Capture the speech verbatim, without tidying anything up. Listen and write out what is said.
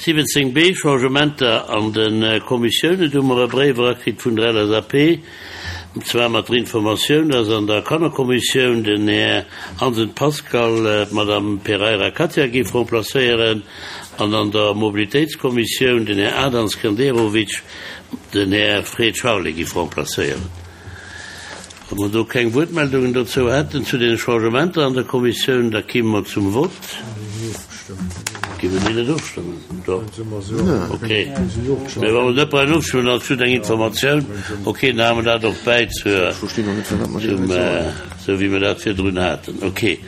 siwwenzéng B, Changementer an de Kommissiounen. Do hu mer e Bréif erakritt vun der L S A P, an zwar mat der Informatioun, dass an der Kannerkommissioun den Här Hansen Pascal d'Madame Pereira Katia géif remplacéieren an an der Mobilitéitskommissioun den Här Adan Skenderovic den Här Fred Charlé géif remplacéieren. Wa mer do keng Wuertmeldungen dozou hätten zu den Changementer an der Kommissioun, da komme mer zum Vott. Gi mer déi net ofstëmmen? Doch. Okay. Mir wollen net bei ofstëmmen, dat ass eng Informatioun. Okay, dann hu mer dat och bäi zur, zum, äh, sou wéi mer dat virdrun haten. Okay.